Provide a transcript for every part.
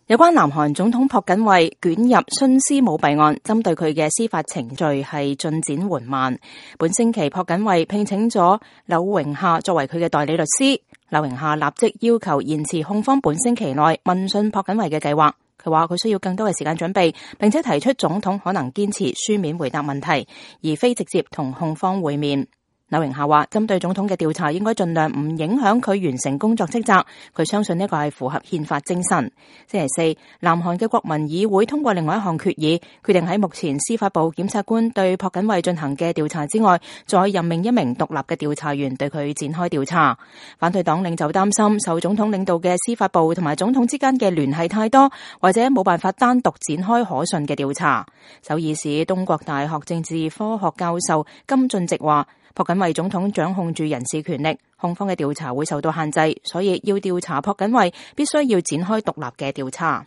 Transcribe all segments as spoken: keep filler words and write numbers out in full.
有關南韓總統朴槿惠捲入徇私舞弊案，針對佢嘅司法程序係進展緩慢。本星期朴槿惠聘請咗柳榮夏作為佢嘅代理律師，柳榮夏立即要求延遲控方本星期內問訊朴槿惠嘅計劃。佢話佢需要更多嘅時間準備，並且提出總統可能堅持書面回答問題，而非直接同控方會面。柳榮夏話，針對總統嘅調查應該盡量唔影響佢完成工作職責，佢相信呢個係符合憲法精神。星期四，南韓嘅國民議會通過另外一項決議，決定喺目前司法部檢察官對朴槿惠進行嘅調查之外，再任命一名獨立嘅調查員對佢展開調查。反對黨領袖擔心受總統領導嘅司法部同埋總統之間嘅聯繫太多，或者冇辦法單獨展開可信嘅調查。首爾市東國大學政治科學教授金俊植話，朴槿惠總統掌控住人事權力，控方嘅調查會受到限制，所以要調查朴槿惠必須要展開獨立嘅調查。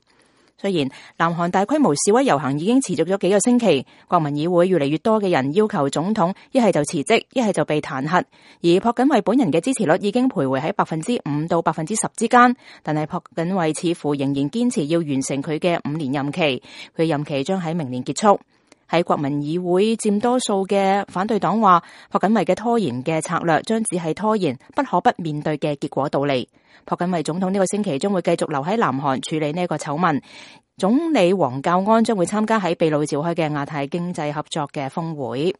雖然南韓大規模示威遊行已經持續咗幾個星期，國民議會越嚟越多嘅人要求總統一係就辭職，一係就被彈劾，而朴槿惠本人嘅支持率已經徘徊喺百分之五到百分之十之間，但係朴槿惠似乎仍然堅持要完成佢嘅五年任期，佢任期將喺明年結束。喺國民議會佔多數嘅反對黨話，朴槿惠嘅拖延嘅策略將只係拖延不可不面對嘅結果到嚟。朴槿惠總統呢個星期將會繼續留喺南韓處理呢個醜聞。總理黃教安將會參加喺秘魯召開嘅亞太經濟合作嘅峰會。